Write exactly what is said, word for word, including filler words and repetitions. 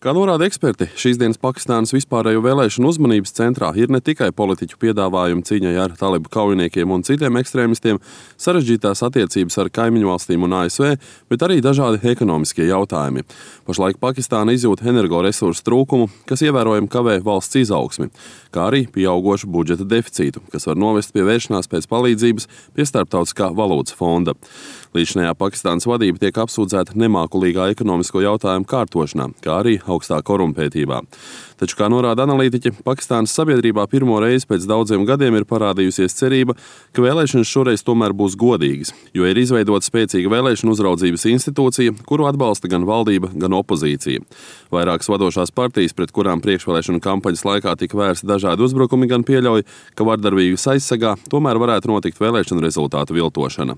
Kā norāda eksperti, šīs dienas Pakistānas vispārējo vēlēšanu uzmanības centrā ir ne tikai politiķu piedāvājumi cīņai ar talibu kaujiniekiem un citiem ekstrēmistiem, sarežģītās attiecības ar kaimiņu valstīm un A S V, bet arī dažādi ekonomiskie jautājumi. Pašlaik Pakistāna izjūt energoresursu trūkumu, kas ievērojami kavē valsts izaugsmi, kā arī pieaugošu budžeta deficītu, kas var novest pie vēršanās pēc palīdzības pie Starptautiskā valūtas fonda. Līdzinājā Pakistānas vadība tiek apsūdzēta nemākulīgā ekonomisko jautājumu kārtošanā, kā arī augstā korumpētībā. Taču, kā norāda analītiķi, Pakistānas sabiedrībā pirmo reizi pēc daudziem gadiem ir parādījusies cerība, ka vēlēšanas šoreiz tomēr būs godīgas, jo ir izveidota spēcīga vēlēšanu uzraudzības institūcija, kuru atbalsta gan valdība, gan opozīcija. Vairākas vadošās partijas, pret kurām priekšvēlēšanu kampaņas laikā tika vērsti dažādi uzbrukumi, gan pieļauj, ka vardarbīgas aizsegā tomēr varētu notikt vēlēšanu rezultātu viltošana.